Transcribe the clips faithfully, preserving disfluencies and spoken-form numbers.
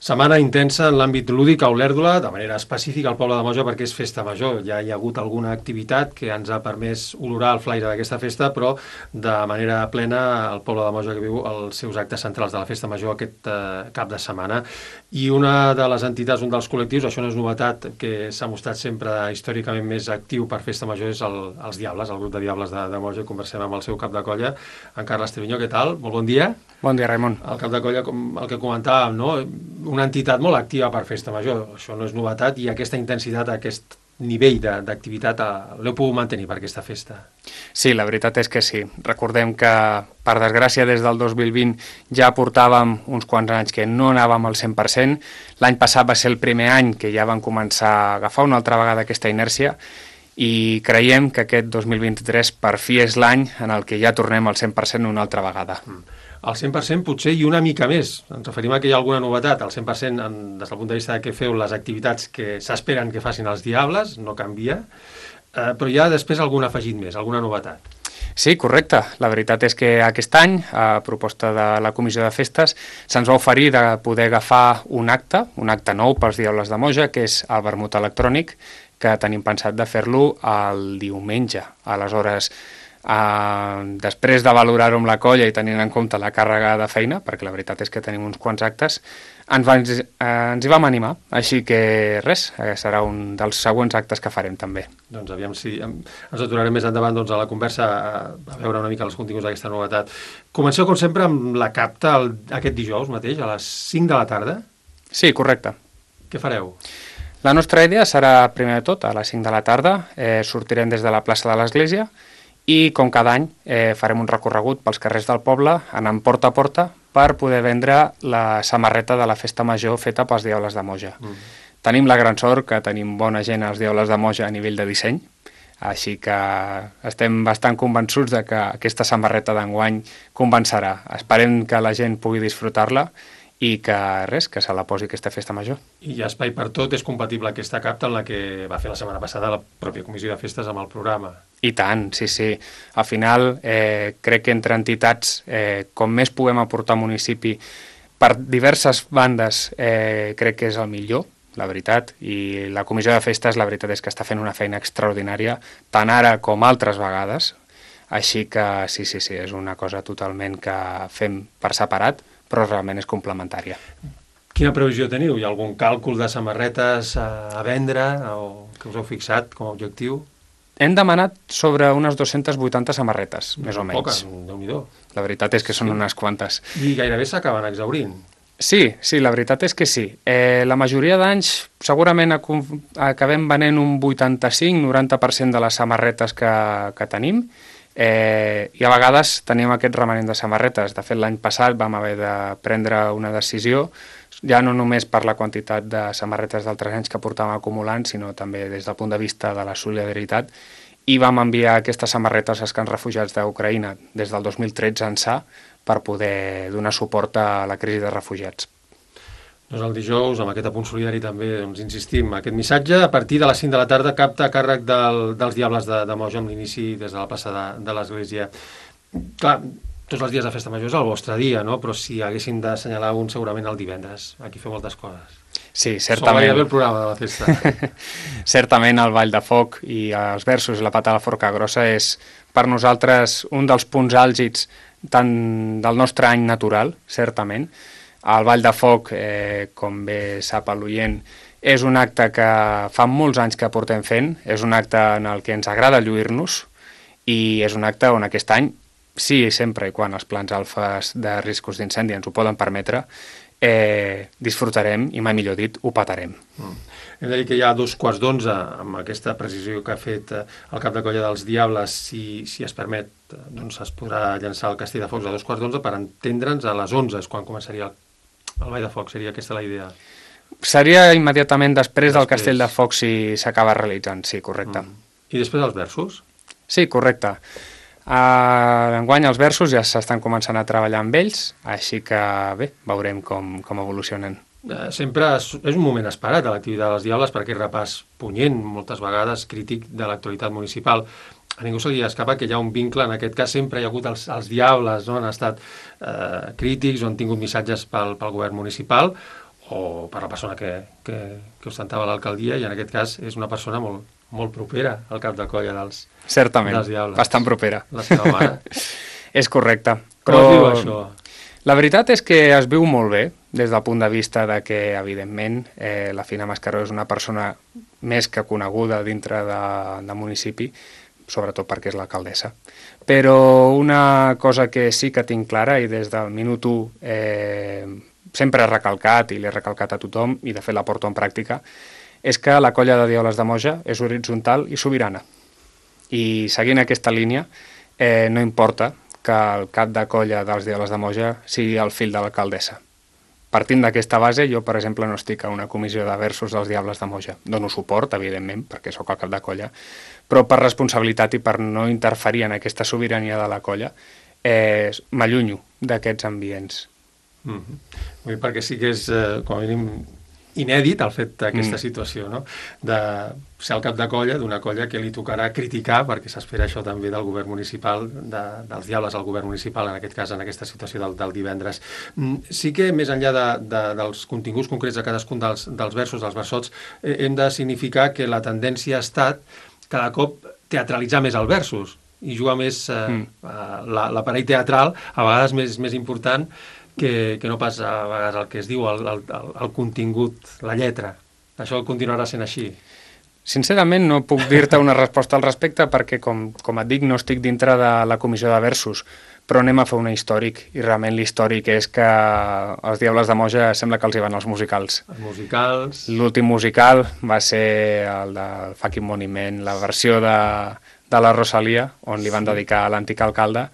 Setmana intensa en l'àmbit lúdic a Olèrdola, de manera específica al poble de Moja perquè és festa major. Ja hi ha hagut alguna activitat que ens ha permès olorar el flaire d'aquesta festa, però de manera plena el poble de Moja que viu els seus actes centrals de la festa major aquest eh, cap de setmana. I una de les entitats, un dels col·lectius, això no és novetat, que s'ha mostrat sempre històricament més actiu per festa major és el, els Diables, el grup de Diables de, de Moja. Conversem amb el seu cap de colla, en Carles Treviño. Què tal? Molt bon dia. Bon dia, Raimon. El cap de colla, com el que comentàvem, no? Una entitat molt activa per festa major, això no és novetat, i aquesta intensitat, aquest nivell d'activitat l'heu pogut mantenir per aquesta festa. Sí, la veritat és que sí. Recordem que, per desgràcia, des del dos mil vint ja portàvem uns quants anys que no anàvem al cent per cent. L'any passat va ser el primer any que ja van començar a agafar una altra vegada aquesta inèrcia i creiem que aquest dos mil vint-i-tres per fi és l'any en el que ja tornem al cent per cent una altra vegada. Mm. Al cent per cent potser i una mica més. Ens referim a que hi ha alguna novetat. Al cent per cent, en, des del punt de vista de que feu les activitats que s'esperen que facin els Diables, no canvia, eh, però hi ha després algun afegit més, alguna novetat. Sí, correcte. La veritat és que aquest any, a proposta de la Comissió de Festes, se'ns va oferir de poder agafar un acte, un acte nou pels Diables de Moja, que és el vermut electrònic, que tenim pensat de fer-lo el diumenge. Aleshores, Uh, després de valorar-ho amb la colla i tenint en compte la càrrega de feina, perquè la veritat és que tenim uns quants actes, ens, va, uh, ens hi vam animar, així que res, uh, serà un dels següents actes que farem també. Doncs aviam si ens aturarem més endavant doncs, a la conversa a, a veure una mica els continguts d'aquesta novetat. Comenceu com sempre amb la capta el, aquest dijous mateix a les cinc de la tarda. Sí, correcte. Què fareu? La nostra idea serà, primer de tot, a les cinc de la tarda, eh, sortirem des de la plaça de l'Església i, com cada any, eh, farem un recorregut pels carrers del poble, anant porta a porta, per poder vendre la samarreta de la festa major feta pels Diables de Moja. Mm. Tenim la gran sort que tenim bona gent als Diables de Moja a nivell de disseny, així que estem bastant convençuts de que aquesta samarreta d'enguany convencerà. Esperem que la gent pugui disfrutar-la i que res, que se la posi aquesta festa major. I hi ha espai per tot, és compatible aquesta capta en la que va fer la setmana passada la pròpia Comissió de Festes amb el programa. I tant, sí, sí. Al final, eh, crec que entre entitats, eh, com més puguem aportar al municipi per diverses bandes, eh, crec que és el millor, la veritat, i la Comissió de Festes, la veritat és que està fent una feina extraordinària, tant ara com altres vegades, així que sí, sí, sí, és una cosa totalment que fem per separat, però realment és complementària. Quina previsió teniu? Hi ha algun càlcul de samarretes a, a vendre o que us heu fixat com a objectiu? Hem demanat sobre unes dues-centes vuitanta samarretes, més o menys. Poques, Déu-n'hi-do. La veritat és que són sí. unes quantes. I gairebé s'acaben exhaurint. Sí, sí, la veritat és que sí. Eh, la majoria d'anys segurament acabem venent un vuitanta-cinc a noranta per cent de les samarretes que, que tenim, eh, i a vegades tenim aquest remanent de samarretes. De fet, l'any passat vam haver de prendre una decisió, ja no només per la quantitat de samarretes d'altres anys que portàvem acumulant, sinó també des del punt de vista de la solidaritat, i vam enviar aquestes samarretes als camps refugiats d'Ucraïna des del dos mil tretze ençà per poder donar suport a la crisi de refugiats. Doncs el dijous, amb aquest apunt solidari també, doncs insistim, aquest missatge a partir de les cinc de la tarda capta a càrrec del, dels Diables de, de Moja amb l'inici des de la plaça de, de l'Església. Clar, tots els dies de festa major és el vostre dia, no? Però si haguéssim d'assenyalar un segurament el divendres. Aquí feu moltes coses. Sí, certament. Sol haver el programa de la festa. Certament el Ball de Foc i els versos i la pata de la forca grossa és per nosaltres un dels punts àlgids tant del nostre any natural, certament. El Ball de Foc, eh, com bé sap l'oient, és un acte que fa molts anys que portem fent, és un acte en el que ens agrada lluir-nos i és un acte on aquest any, sí, sempre i quan els plans alfes de riscos d'incendi ens ho poden permetre, eh, disfrutarem i, mai millor dit, ho patarem. Mm. Hem de dir que hi ha dos quarts d'onze, amb aquesta precisió que ha fet el cap de colla dels Diables, si, si es permet, doncs es podrà llançar el castell de focs a dos quarts d'onze per entendre'ns a les onze, és quan començaria el, el ball de foc, seria aquesta la idea? Seria immediatament després, després. del castell de focs si s'acaba realitzant, sí, correcte. Mm. I després els versos? Sí, correcte. Uh, enguany els versos ja s'estan començant a treballar amb ells, així que bé, veurem com, com evolucionen. Eh, sempre és, és un moment esperat a l'activitat dels Diables perquè és repàs punyent, moltes vegades crític de l'actualitat municipal. A ningú se li escapa que hi ha un vincle, en aquest cas sempre hi ha hagut els, els Diables, no? Han estat eh, crítics o han tingut missatges pel, pel govern municipal, o per la persona que, que, que ostentava l'alcaldia, i en aquest cas és una persona molt, molt propera al cap de colla dels, Certament, dels Diables. bastant propera. La seva mare. És correcte. Com es viu això? La veritat és que es viu molt bé, des del punt de vista de que, evidentment, eh, la Fina Mascaró és una persona més que coneguda dintre de, de municipi, sobretot perquè és l'alcaldessa. Però una cosa que sí que tinc clara, i des del minut u eh, sempre he recalcat, i l'he recalcat a tothom, i de fet la porto en pràctica, és que la colla de Diables de Moja és horitzontal i sobirana. I seguint aquesta línia, eh, no importa que el cap de colla dels Diables de Moja sigui el fill de l'alcaldessa. Partint d'aquesta base, jo, per exemple, no estic a una comissió de versos dels Diables de Moja. Dono suport, evidentment, perquè sóc el cap de colla, però per responsabilitat i per no interferir en aquesta sobirania de la colla, eh, m'allunyo d'aquests ambients. Mm-hmm. Perquè sí que és, eh, com a mínim, inèdit el fet d'aquesta mm. situació, no? De ser el cap de colla d'una colla que li tocarà criticar, perquè s'espera això també del govern municipal, de, dels Diables al govern municipal, en aquest cas, en aquesta situació del, del divendres. Mm, sí que, més enllà de, de, dels continguts concrets de cadascun dels, dels versos, dels versots, eh, hem de significar que la tendència ha estat cada cop teatralitzar més el versos i jugar més eh, mm. l'aparell teatral, a vegades més, més important, Que, que no pas a vegades el que es diu, el, el, el contingut, la lletra. Això continuarà sent així? Sincerament no puc dir-te una resposta al respecte perquè, com, com et dic, no estic dintre de la comissió de versos, però anem a fer un històric, i realment l'històric és que els Diables de Moja sembla que els hi van els musicals. Els musicals... L'últim musical va ser el del Fucking Monument, la versió de, de la Rosalia, on li van sí. dedicar a l'antic alcalde,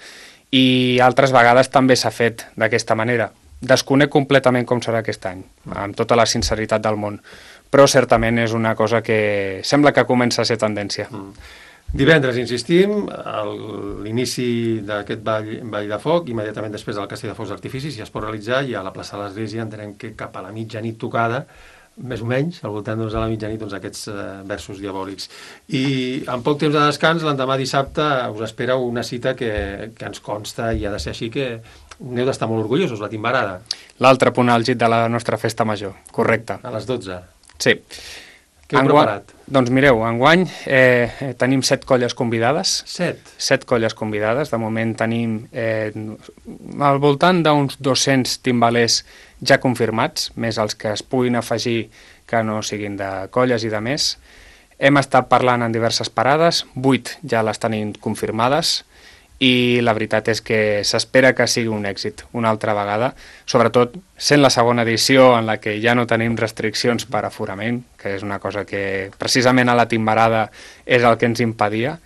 i altres vegades també s'ha fet d'aquesta manera. Desconec completament com serà aquest any, amb tota la sinceritat del món, però certament és una cosa que sembla que comença a ser tendència. Mm. Divendres, insistim, l'inici d'aquest ball, ball de foc, immediatament després del castell de focs d'artificis, ja es pot realitzar, i a la plaça de l'Església entenem que cap a la mitjanit tocada, més o menys, al voltant doncs, de la mitjanit, doncs, aquests eh, versos diabòlics. I amb poc temps de descans, l'endemà dissabte, us espera una cita que, que ens consta, i ha de ser així, que n'heu d'estar molt orgullosos, la timbarada. L'altre punt àlgid de la nostra festa major, correcte. A les dotze. Sí. Què heu preparat? Doncs mireu, enguany eh, tenim set colles convidades. Set? Set colles convidades. De moment tenim eh, al voltant d'uns dos-cents timbalers ja confirmats, més els que es puguin afegir que no siguin de colles i de més. Hem estat parlant en diverses parades, vuit ja les tenim confirmades, i la veritat és que s'espera que sigui un èxit una altra vegada, sobretot sent la segona edició en la que ja no tenim restriccions per aforament, que és una cosa que precisament a la timbarada és el que ens impedia,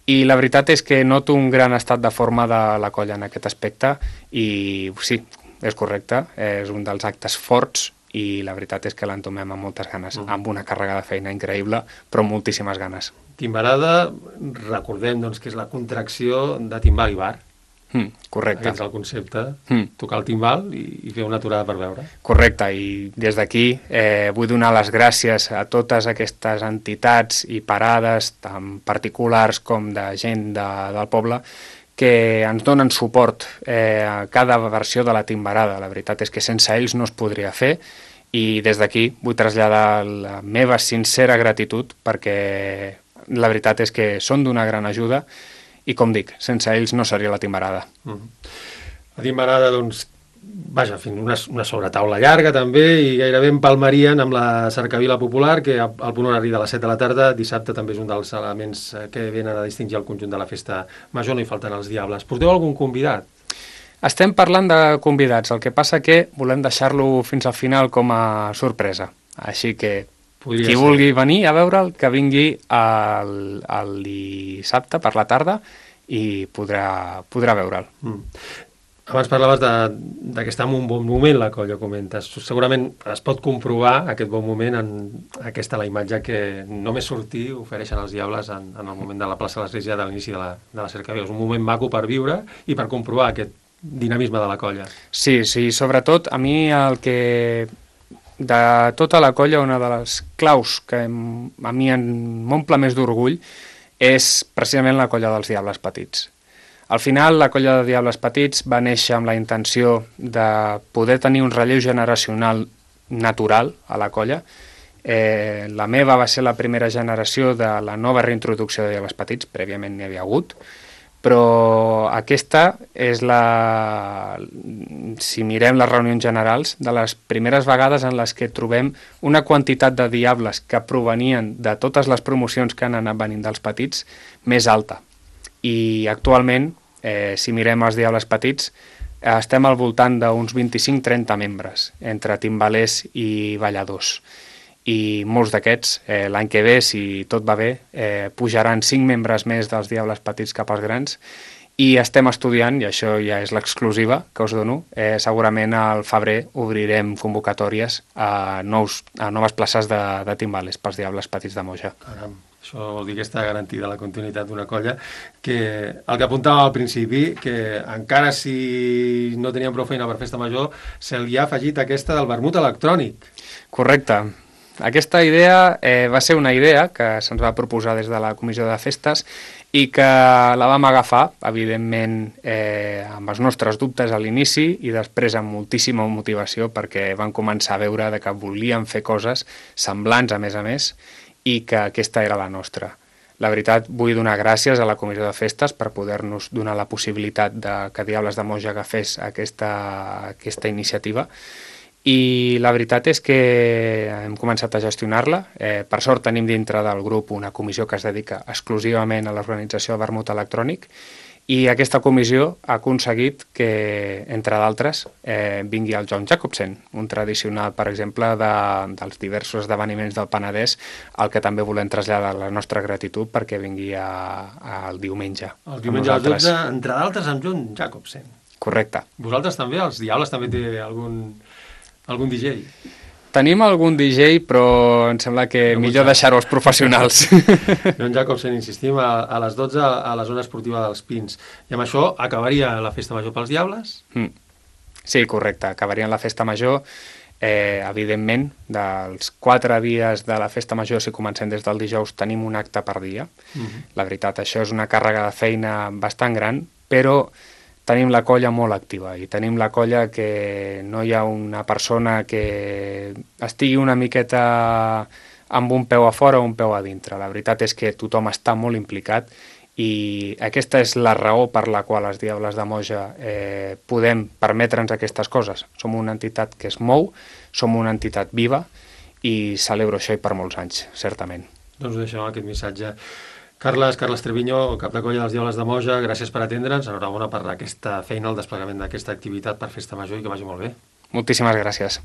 i la veritat és que noto un gran estat de forma de la colla en aquest aspecte, i sí, és correcte, és un dels actes forts, i la veritat és que l'entomem amb moltes ganes, mm. amb una càrrega de feina increïble, però moltíssimes ganes. Timbarada, recordem doncs, que és la contracció de timbal i bar. Mm, correcte. Aquest és el concepte, mm. tocar el timbal i, i fer una aturada per veure. Correcte, i des d'aquí eh, vull donar les gràcies a totes aquestes entitats i parades, tant particulars com de gent de, del poble, que ens donen suport eh, a cada versió de la timbarada. La veritat és que sense ells no es podria fer, i des d'aquí vull traslladar la meva sincera gratitud perquè la veritat és que són d'una gran ajuda i, com dic, sense ells no seria la timbarada. Mm. La timbarada, doncs, vaja, una, una sobretaula llarga també, i gairebé empalmarien amb la cercavila popular, que al punt horari de les set de la tarda, dissabte també és un dels elements que venen a distingir el conjunt de la festa major, no hi falten els Diables. Porteu algun convidat? Estem parlant de convidats, el que passa que volem deixar-lo fins al final com a sorpresa, així que Podria qui ser. vulgui venir a veure'l, que vingui el, el dissabte per la tarda i podrà, podrà veure'l. Mm. Abans parlaves de, de que està en un bon moment la colla, comentes. Segurament es pot comprovar aquest bon moment en aquesta la imatge que només sortir ofereixen els Diables en, en el moment de la plaça de l'Església de l'inici de la, de la cercavila. És un moment maco per viure i per comprovar aquest dinamisme de la colla. Sí, sí, sobretot a mi el que de tota la colla, una de les claus que a mi m'omple més d'orgull és precisament la colla dels Diables Petits. Al final, la colla de Diables Petits va néixer amb la intenció de poder tenir un relleu generacional natural a la colla. Eh, la meva va ser la primera generació de la nova reintroducció de Diables Petits, prèviament n'hi havia hagut, però aquesta és la, si mirem les reunions generals, de les primeres vegades en les que trobem una quantitat de diables que provenien de totes les promocions que han anat venint dels petits més alta. I actualment, eh, si mirem els Diables Petits, eh, estem al voltant d'uns vint-i-cinc trenta membres, entre timbalers i balladors. I molts d'aquests, eh, l'any que ve, si tot va bé, eh, pujaran cinc membres més dels Diables Petits cap als grans, i estem estudiant, i això ja és l'exclusiva que us dono, eh, segurament al febrer obrirem convocatòries a, nous, a noves places de, de timbales pels Diables Petits de Moja. Caram, això vol dir que està garantida la continuïtat d'una colla, que el que apuntava al principi, que encara si no teníem prou feina per festa major, se li ha afegit aquesta del vermut electrònic. Correcte. Aquesta idea eh, va ser una idea que se'ns va proposar des de la Comissió de Festes i que la vam agafar, evidentment, eh, amb els nostres dubtes a l'inici i després amb moltíssima motivació perquè van començar a veure de que volíem fer coses semblants, a més a més, i que aquesta era la nostra. La veritat, vull donar gràcies a la Comissió de Festes per poder-nos donar la possibilitat de que Diables de Moja agafés aquesta, aquesta iniciativa. I la veritat és que hem començat a gestionar-la. Eh, per sort tenim dintre del grup una comissió que es dedica exclusivament a l'organització de vermut electrònic i aquesta comissió ha aconseguit que, entre d'altres, eh, vingui el John Jacobsen, un tradicional, per exemple, de, dels diversos esdeveniments del Penedès, al que també volem traslladar la nostra gratitud perquè vingui al diumenge. El diumenge a les dotze, entre d'altres, amb John Jacobsen. Correcte. Vosaltres també? Els Diables també té algun... algun D J? Tenim algun D J, però em sembla que no millor deixar-ho als professionals. John Jacobsen, insistim, a, a les dotze a la zona esportiva dels Pins. I amb això acabaria la festa major pels Diables? Mm. Sí, correcte. Acabaria la festa major. Eh, evidentment, dels quatre dies de la festa major, si comencem des del dijous, tenim un acte per dia. Mm-hmm. La veritat, això és una càrrega de feina bastant gran, però tenim la colla molt activa i tenim la colla que no hi ha una persona que estigui una miqueta amb un peu a fora o un peu a dintre. La veritat és que tothom està molt implicat i aquesta és la raó per la qual els Diables de Moja eh, podem permetre'ns aquestes coses. Som una entitat que es mou, som una entitat viva i celebro això i per molts anys, certament. Doncs ho deixem aquest missatge. Carles, Carles Treviño, cap de colla dels Diables de Moja, gràcies per atendre'ns, enhorabona per aquesta feina, el desplegament d'aquesta activitat per festa major i que vagi molt bé. Moltíssimes gràcies.